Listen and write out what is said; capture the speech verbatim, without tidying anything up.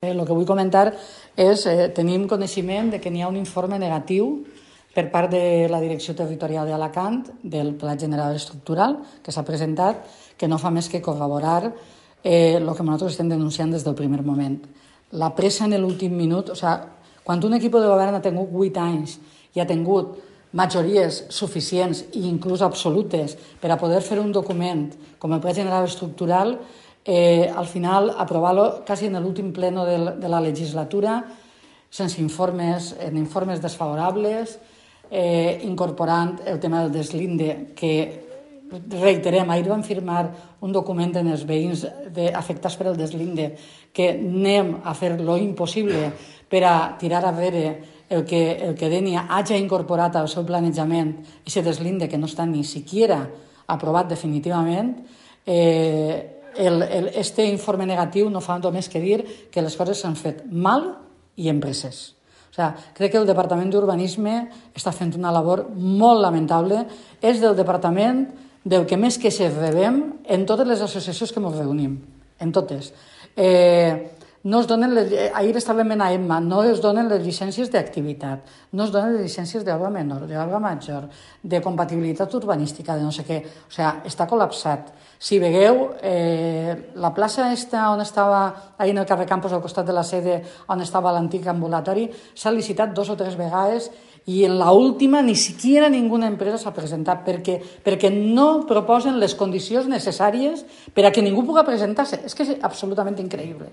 El que vull comentar és que eh, tenim coneixement de que n'hi ha un informe negatiu per part de la Direcció Territorial d'Alacant del Pla General Estructural que s'ha presentat, que no fa més que corroborar eh, el que nosaltres estem denunciant des del primer moment. La pressa en l'últim minut, o sigui, quan un equip de govern ha tingut vuit anys i ha tingut majories suficients i inclús absolutes per a poder fer un document com el Pla General Estructural, Eh, al final aprovar-lo quasi en l'últim pleno de, de la legislatura, sense informes, en informes desfavorables, eh, incorporant el tema del deslinde, que reiterem, ahir vam firmar un document en els veïns de, afectats per el deslinde, que anem a fer lo impossible per a tirar a veure el que, el que Dénia hagi incorporat al seu planejament, aquest deslinde que no està ni siquiera aprovat definitivament. eh, El, el, este informe negatiu no fa només que dir que les coses s'han fet mal i en presses. O sigui, crec que el Departament d'Urbanisme està fent una labor molt lamentable. És del departament del que més queixes rebem en totes les associacions que ens reunim, en totes. Eh, no es donen les, ahir estàvem en AEMMA, no es donen les llicències d'activitat, no es donen les llicències d'obra menor, d'obra major, de compatibilitat urbanística, de no sé què. O sigui, està col·lapsat. Si veieu, eh, la plaça esta on estava, ahir en el carrer Campos, al costat de la sede on estava l'antic ambulatori, s'ha licitat dos o tres vegades i en l'última ni siquiera ninguna empresa s'ha presentat perquè, perquè no proposen les condicions necessàries per a que ningú pugui presentar-se. És que és absolutament increïble.